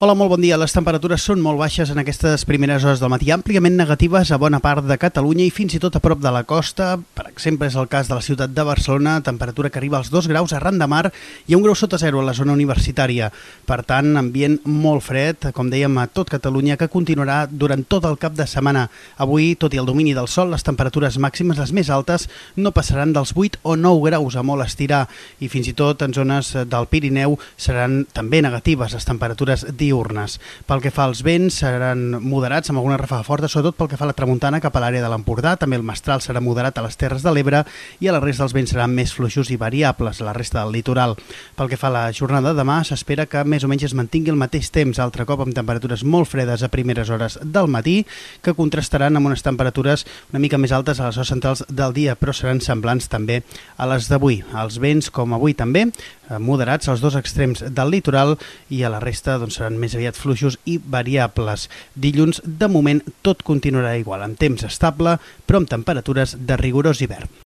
Hola, molt bon dia. Les temperatures són molt baixes en aquestes primeres hores del matí, àmpliament negatives a bona part de Catalunya i fins i tot a prop de la costa. Per exemple, és el cas de la ciutat de Barcelona, temperatura que arriba als 2 graus arran de mar i a 1 grau sota zero a la zona universitària. Per tant, ambient molt fred, com dèiem, a tot Catalunya, que continuarà durant tot el cap de setmana. Avui, tot i el domini del sol, les temperatures màximes, les més altes, no passaran dels 8 o 9 graus a molt estirar i fins i tot en zones del Pirineu seran també negatives les temperatures diurnes. Pel que fa als vents, seran moderats amb alguna ràfega forta, sobretot pel que fa a la tramuntana cap a l'àrea de l'Empordà. També el mestral serà moderat a les Terres de l'Ebre i a la resta dels vents seran més fluixos i variables a la resta del litoral. Pel que fa a la jornada de demà, s'espera que més o menys es mantingui el mateix temps, altre cop amb temperatures molt fredes a primeres hores del matí, que contrastaran amb unes temperatures una mica més altes a les hores centrals del dia, però seran semblants també a les d'avui. Els vents, com avui també, moderats als dos extrems del litoral i a la resta seran més aviat fluixos i variables. Dilluns, de moment, tot continuarà igual, amb temps estable, però amb temperatures de rigorós hivern.